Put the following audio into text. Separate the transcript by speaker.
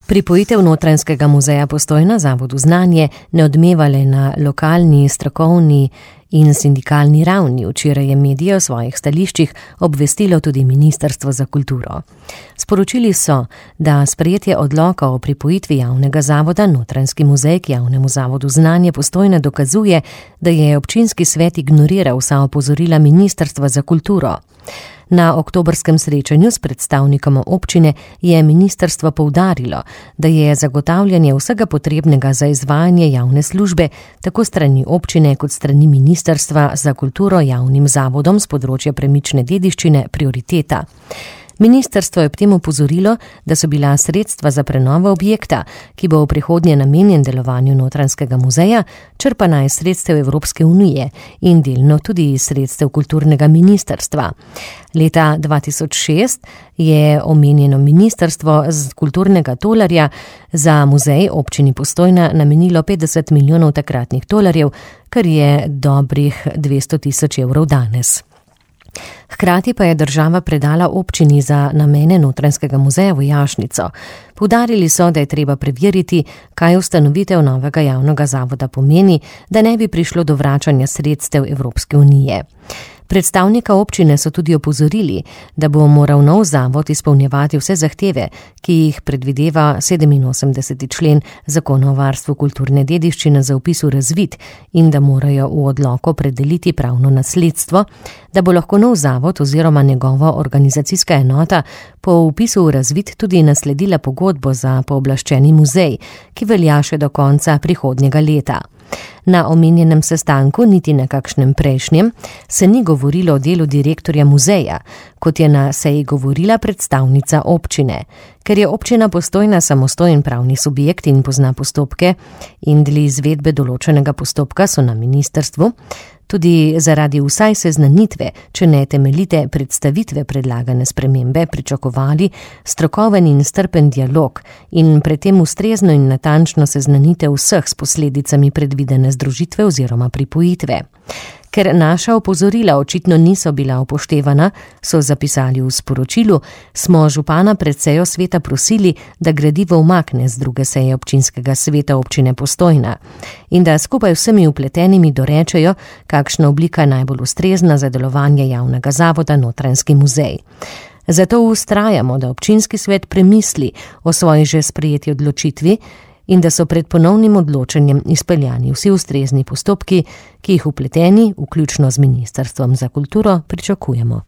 Speaker 1: Pripojitev Notranjskega muzeja Postojna Zavodu Znanje ne odmeva le na lokalni, strokovni in sindikalni ravni. Včeraj je medije o svojih stališčih obvestilo tudi Ministrstvo za kulturo. Sporočili so, da sprejetje odloka o pripojitvi javnega zavoda Notranjski muzej k javnemu zavodu Znanje Postojna dokazuje, da je občinski svet ignoriral vsa opozorila Ministrstva za kulturo. Na oktobrskem srečanju s predstavnikom občine je ministrstvo poudarilo, da je zagotavljanje vsega potrebnega za izvajanje javne službe tako strani občine kot strani Ministrstva za kulturo javnim zavodom z področja premične dediščine prioriteta. Ministrstvo je ob tem opozorilo, da so bila sredstva za prenovo objekta, ki bo v prihodnje namenjen delovanju Notranjskega muzeja, črpana iz sredstev Evropske unije in delno tudi iz sredstev kulturnega ministrstva. Leta 2006 je omenjeno ministrstvo z kulturnega tolarja za muzej občini Postojna namenilo 50 milijonov takratnih tolarjev, kar je dobrih 200 tisoč evrov danes. Hkrati pa je država predala občini za namene Notranjskega muzeja vojašnico. Poudarili so, da je treba preveriti, kaj ustanovitev novega javnega zavoda pomeni, da ne bi prišlo do vračanja sredstev Evropske unije. Predstavnika občine so tudi opozorili, da bo moral nov zavod izpolnjevati vse zahteve, ki jih predvideva 87. člen Zakona o varstvu kulturne dediščine za vpis v razvid in da morajo v odloku opredeliti pravno nasledstvo, da bo lahko nov zavod oziroma njegova organizacijska enota po vpisu v razvid tudi nasledila pogodbo za pooblaščeni muzej, ki velja še do konca prihodnjega leta. Na omenjenem sestanku, niti na kakšnem prejšnjem, se ni govorilo o delu direktorja muzeja, kot je na seji govorila predstavnica občine. Ker je občina Postojna samostojen pravni subjekt in pozna postopke in deli izvedbe določenega postopka, so na ministrstvu tudi zaradi vsaj seznanitve, če ne temeljite predstavitve predlagane spremembe, pričakovali strokoven in strpen dialog in predtem ustrezno in natančno seznanitev vseh s posledicami predvidene združitve oziroma pripojitve. Ker naša opozorila očitno niso bila upoštevana, so zapisali v sporočilu, smo župana pred sejo sveta prosili, da gradivo umakne z druge seje občinskega sveta občine Postojna in da skupaj vsemi vpletenimi dorečejo, kakšna oblika je najbolj ustrezna za delovanje javnega zavoda Notranjski muzej. Zato vztrajamo, da občinski svet premisli o svoji že sprejeti odločitvi in da so pred ponovnim odločenjem izpeljani vsi ustrezni postopki, ki jih vpleteni, vključno z Ministrstvom za kulturo, pričakujemo.